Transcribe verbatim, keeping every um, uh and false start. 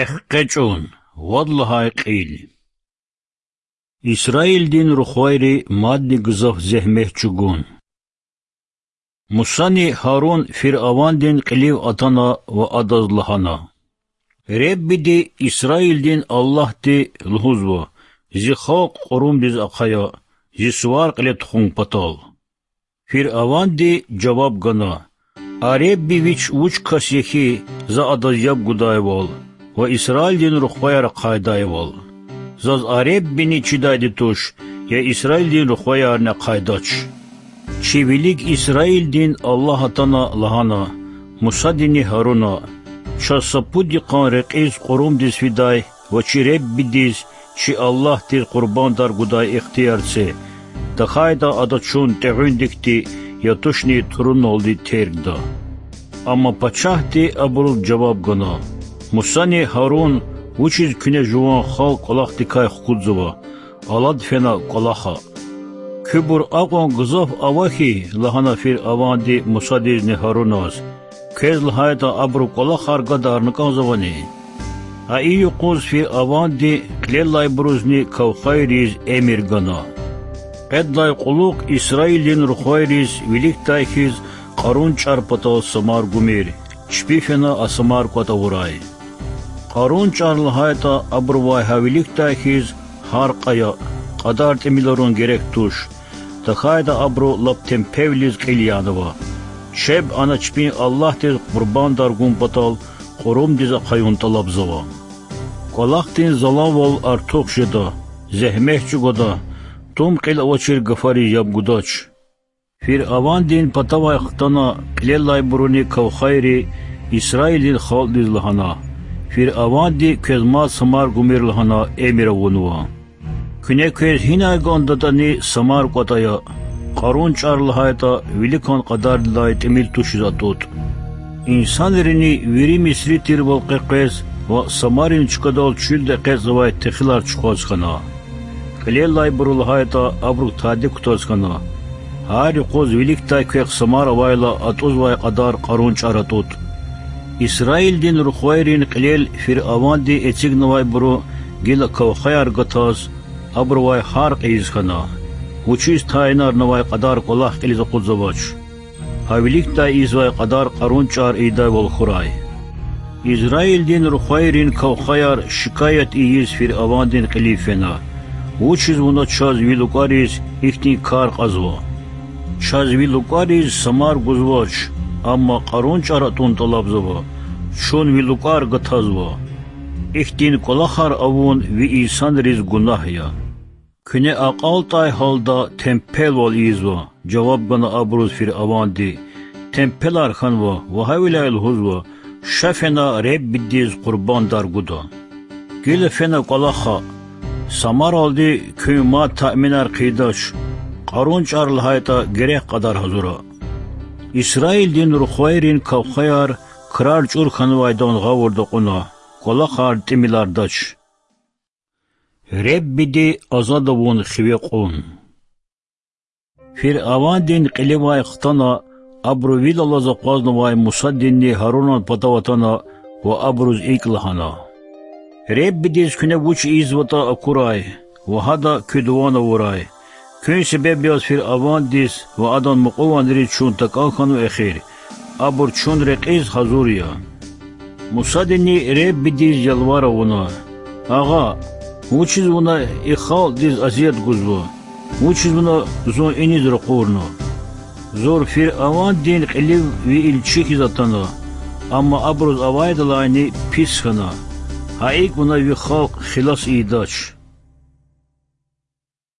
Экъечӏун, вад лагьай кьил. Исраилдин рухвайри мадни гзаф зегьмет чӏугун. Мусани Гьарун фиръавандин кьилив атана ва адаз лагьана: Реббиди, Исраилдин Аллагьди лугьузва: Зи халкь кьурумдиз ахъая, Зи сувар кьиле тухун патал. Фиръаванди жаваб гана: А Ребби вич вуч кас я хьи, за адаз яб гудайвал ва Исраилдин рухваяр ахъайдайвал? Заз а Реббини чидайди туш, я Исраилдин рухваярни ахъайдач. Чи вилик Исраилдин Аллагь атана лагьана Мусадини Гьаруназ: Чаз са пуд йикъан рекьиз кьурумдиз фидай ва чи Реббидиз, чи Аллагьдиз къурбандар гудай ихтияр це, тахьайтӏа ада чун тӏегъуьндикди, я тушни туруналди тергда. Амма пачагьди абуруз жаваб гана: Мусани Гьарун вучиз куьне жуван халкь кӏвалахдикай хкудзава? Алад фена кӏвалаха. Куьбур акьван гзаф ава хьи, лагьана фиръаванди Мусадизни Гьаруназ, квез лагьайтӏа абуру кӏвалахар гадарна кӏанзавани? Гьа и юкъуз фиръаванди кьилеллайбурузни кавхайриз эмир гана: Къедлай кьулухъ Исраилдин рухвайриз виликдай хьиз Кьарун чӏар патал самар гумир, чпи фена а самар кӏватӏ авурай. Кьарун чӏар лагьайтӏа, абурувай гьа виликдай хьиз гьар кьая, кьадар тӏимиларун герек туш, тахьайтӏа абуру лап темпелвилиз кьил янава. Чеб ана чпин Аллагьдиз къурбандар гун патал кьурумдиз ахъаюн тӏалабзава. Кӏвалахдин заланвал артух жеда, зегьмет чӏугвада, тум-кьил авачир гафариз яб гудач. Фиръавандин патавай хтана кьилеллайбуруни кавхайри Исраилдин халкьдиз лагьана: Фиръаванди квез мад самар гумир лагьана эмир авунва. Куьне квез гьинай кӏандатӏани самар кӏватӏ ая, Кьарун чӏар лагьайтӏа, виликан кьадардилай тӏимил тушиз атӏутӏ. Инсанрини вири Мисри тирвал къекъвез ва самарин чкадал чуьлда экъечӏзавай техилар чухваз хьана. Кьилеллайбуру лагьайтӏа, абурук тади кутаз хьана. Гьар юкъуз виликдай квехъ самар авайла атӏузвай кьадар Кьарун чӏар атӏутӏ. Исраилдин рухвайрин кьилел фиръаванди эцигнавайбуру гила кавхаяр гатаз, абурувай гьар кьейиз хьана, вучиз тайинарнавай кьадар кӏвалах кьилиз акъудзавач. Гьа виликдай ийизвай кьадар Кьарун чӏар ийидайвал хьурай. Исраилдин рухвайрин кавхаяр шикаят ийиз фиръавандин кьилив фена: Вучиз вуна чаз ви лукӏариз ихьтин кар кьазва? Чаз ви лукӏариз самар гузвач, амма Кьарун чӏар атӏун тӏалабзава, чун ви лукӏар гатазва. Ихьтин кӏвалахар авун ви инсанриз гунагь я. Куьне акьалтӏай гьалда темпелвал ийизва,— жаваб гана абуруз фиръаванди. Темпелар хьанва ва гьавиляй лугьузва: Ша фена Реббидиз къурбандар гуда. Гила фена кӏвалаха. Самаралди куьн мад таъминар хъийидач, Кьарун чӏар лагьайтӏа, герек кьадар гьазура. Исраилдин рухвайрин кавхаяр крар чӏур хьанвайдан гъавурда акьуна, кӏвалахар тӏимилардач. Реббиди азад авун хиве кьун. Фиръавандин кьиливай хтана, абуру вил алаз акъвазнавай Мусадинни Гьарунан патав атана ва абуруз икӏ лагьана: Реббидиз куьне вуч ийизватӏа акурай ва гьада куьд ван авурай. Куьн себеб яз фиръавандиз ва адан мукьувандиз чун такӏан хьанва эхир, абур чун рекьиз гьазур я. Мусадини Реббидиз ялвар авуна: Агъа, вучиз вуна и халкьдиз азият гузва? Вучиз вуна зун иниз ракъурна? Зун фиръавандин кьилив ви илчи хьиз атана, амма абуруз авайдалайни пис хьана. Гьа икӏ вуна ви халкь хилас ийидач.